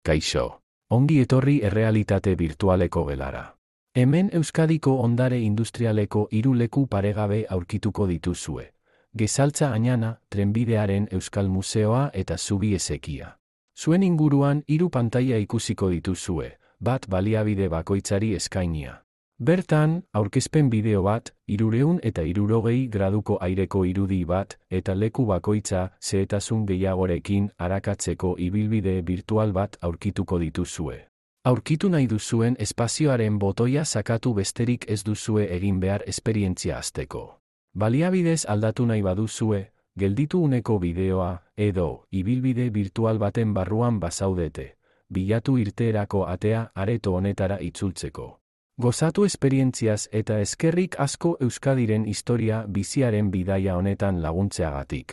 Kaixo. Ongi etorri errealitate virtualeko gelara. Hemen Euskadiko ondare industrialeko 3 leku paregabe aurkituko dituzue. Gezaltza Añana, Trenbidearen Euskal Museoa eta Zubi Ezekia. Zuen inguruan 3 pantaila ikusiko dituzue, bat baliabide bakoitzari eskainia. Bertan, aurkezpen bideo bat, 360 graduko aireko irudi bat, eta leku bakoitza, zehetasun gehiagorekin arakatzeko ibilbide virtual bat aurkituko dituzue. Aurkitu nahi duzuen espazioaren botoia sakatu besterik ez duzue egin behar esperientzia hasteko. Baliabidez aldatu nahi baduzue, gelditu uneko bideoa, edo, ibilbide virtual baten barruan bazaudete, bilatu irteerako atea areto honetara itzultzeko. Gozatu esperientziaz eta eskerrik asko Euskadiren historia biziaren bidaia honetan laguntzeagatik.